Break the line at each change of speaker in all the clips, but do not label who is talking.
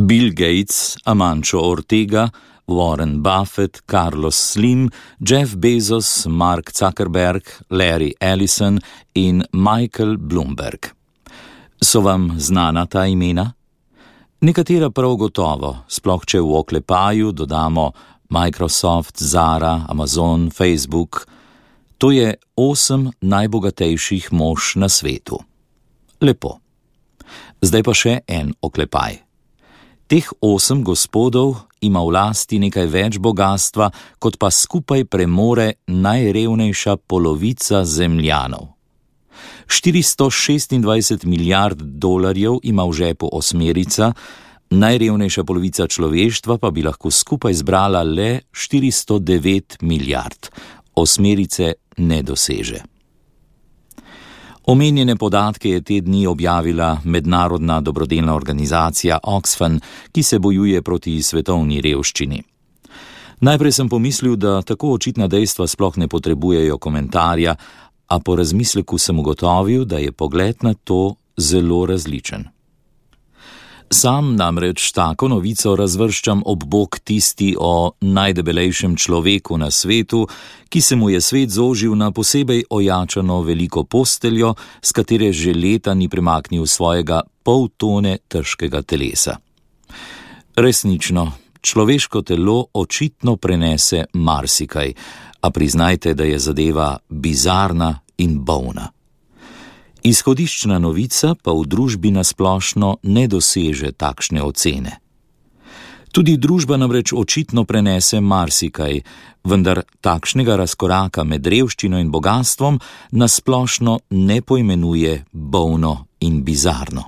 Bill Gates, Amancio Ortega, Warren Buffett, Carlos Slim, Jeff Bezos, Mark Zuckerberg, Larry Ellison in Michael Bloomberg. So vam znana ta imena? Nekatera prav gotovo, sploh če v oklepaju dodamo Microsoft, Zara, Amazon, Facebook. To je 8 najbogatejših mož na svetu. Lepo. Zdaj pa še en oklepaj. Teh 8 gospodov ima v lasti nekaj več bogastva, kot pa skupaj premore najrevnejša polovica Zemljanov. 426 milijard dolarjev ima v žepu osmerica, najrevnejša polovica človeštva pa bi lahko skupaj zbrala le 409 milijard. Osmerice ne doseže. Omenjene podatke je te dni objavila mednarodna dobrodelna organizacija Oxfam, ki se bojuje proti svetovni revščini. Najprej sem pomislil, da tako očitna dejstva sploh ne potrebujejo komentarja, a po razmisleku sem ugotovil, da je pogled na to zelo različen. Sam namreč tako novico razvrščam ob bok tisti o najdebelejšem človeku na svetu, ki se mu je svet zožil na posebej ojačano veliko posteljo, s katere že leta ni premaknil svojega pol tone težkega telesa. Resnično, človeško telo očitno prenese marsikaj, a priznajte, da je zadeva bizarna in bolna. Izhodiščna novica pa v družbi nasplošno ne doseže takšne ocene. Tudi družba namreč očitno prenese marsikaj, vendar takšnega razkoraka med revščino in bogastvom nasplošno ne poimenuje bolno in bizarno.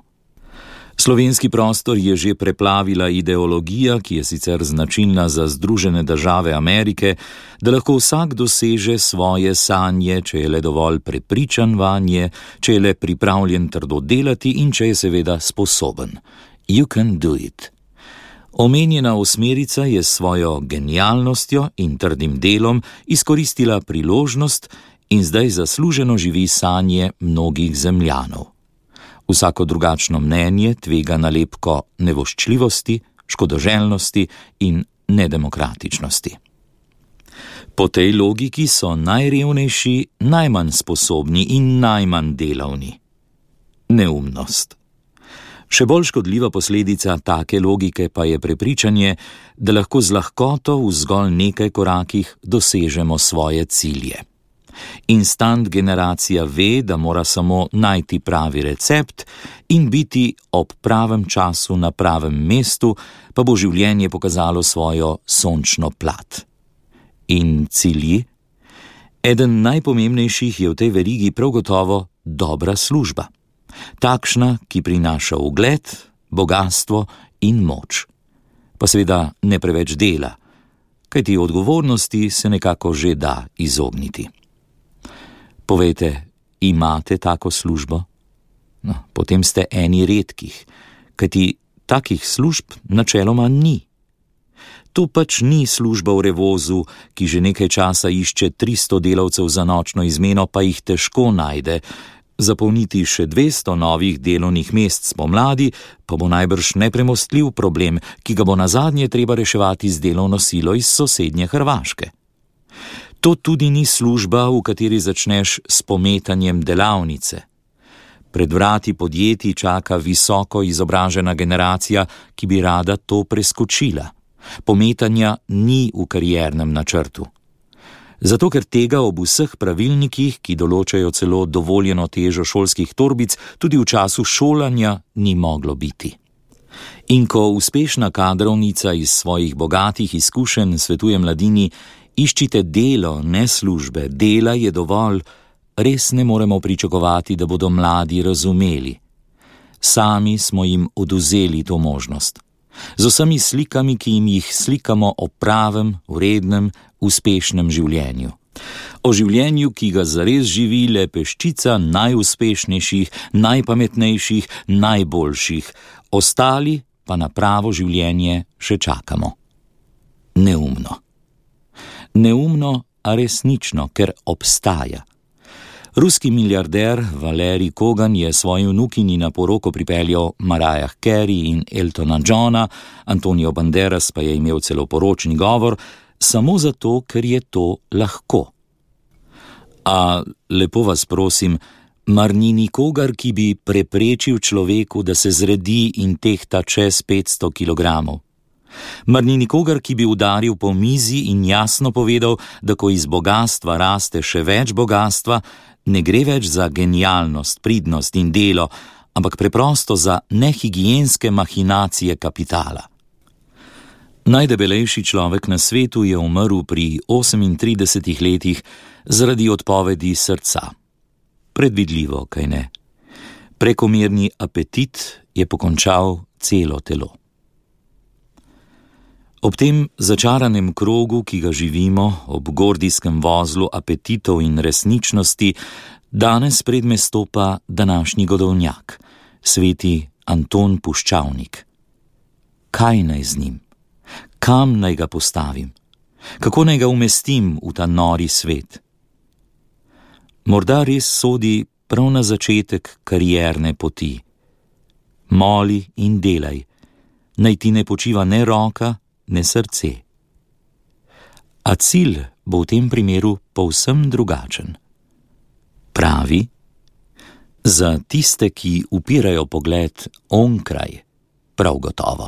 Slovenski prostor je že preplavila ideologija, ki je sicer značilna za Združene države Amerike, da lahko vsak doseže svoje sanje, če je le dovolj prepričan vanje, če je le pripravljen trdo delati in če je seveda sposoben. You can do it. Omenjena osmerica je s svojo genialnostjo in trdim delom izkoristila priložnost in zdaj zasluženo živi sanje mnogih Zemljanov. Vsako drugačno mnenje tvega nalepko nevoščljivosti, škodoželjnosti in nedemokratičnosti. Po tej logiki so najrevnejši najmanj sposobni in najmanj delavni. Neumnost. Še bolj škodljiva posledica take logike pa je prepričanje, da lahko z lahkoto v zgolj nekaj korakih dosežemo svoje cilje. Instant generacija ve, da mora samo najti pravi recept in biti ob pravem času na pravem mestu, pa bo življenje pokazalo svojo sončno plat. In cilji? Eden najpomembnejših je v tej verigi prav gotovo dobra služba. Takšna, ki prinaša ugled, bogastvo in moč. Pa seveda ne preveč dela, kajti odgovornosti se nekako že da izogniti. Povejte, imate tako službo? No, potem ste eni redkih, kajti takih služb načeloma ni. To pač ni služba v Revozu, ki že nekaj časa išče 300 delavcev za nočno izmeno, pa jih težko najde. Zapolniti še 200 novih delovnih mest spomladi pa bo najbrž nepremostljiv problem, ki ga bo nazadnje treba reševati z delovno silo iz sosednje Hrvaške. To tudi ni služba, v kateri začneš s pometanjem delavnice. Pred vrati podjetij čaka visoko izobražena generacija, ki bi rada to preskočila. Pometanja ni v kariernem načrtu. Zato, ker tega ob vseh pravilnikih, ki določajo celo dovoljeno težo šolskih torbic, tudi v času šolanja ni moglo biti. In ko uspešna kadrovnica iz svojih bogatih izkušenj svetuje mladini, iščite delo, ne službe, dela je dovolj, res ne moremo pričakovati, da bodo mladi razumeli. Sami smo jim odvzeli to možnost. Z vsemi slikami, ki jim jih slikamo o pravem, vrednem, uspešnem življenju. O življenju, ki ga zares živi le peščica najuspešnejših, najpametnejših, najboljših, ostali pa na pravo življenje še čakamo. Neumno. Neumno, a resnično, ker obstaja. Ruski milijarder Valerij Kogan je svoji vnukinji na poroko pripeljal Mariah Carey in Eltona Johna, Antonio Banderas pa je imel celo poročni govor, samo zato, ker je to lahko. A lepo vas prosim, mar ni nikogar, ki bi preprečil človeku, da se zredi in tehta čez 500 kilogramov? Mar ni nikogar, ki bi udaril po mizi in jasno povedal, da ko iz bogastva raste še več bogastva, ne gre več za genialnost, pridnost in delo, ampak preprosto za nehigienske mahinacije kapitala? Najdebelejši človek na svetu je umrl pri 38 letih zaradi odpovedi srca. Predvidljivo, kaj ne? Prekomerni apetit je pokončal celo telo. Ob tem začaranem krogu, ki ga živimo, ob gordijskem vozlu apetitov in resničnosti, danes predme stopa današnji godovnjak, sveti Anton Puščavnik. Kaj naj z njim? Kam naj ga postavim? Kako naj ga umestim v ta nori svet? Morda res sodi prav na začetek karierne poti. Moli in delaj, naj ti ne počiva ne roka, ne srce. A cilj bo v tem primeru povsem drugačen. Pravi, za tiste, ki upirajo pogled onkraj, prav gotovo.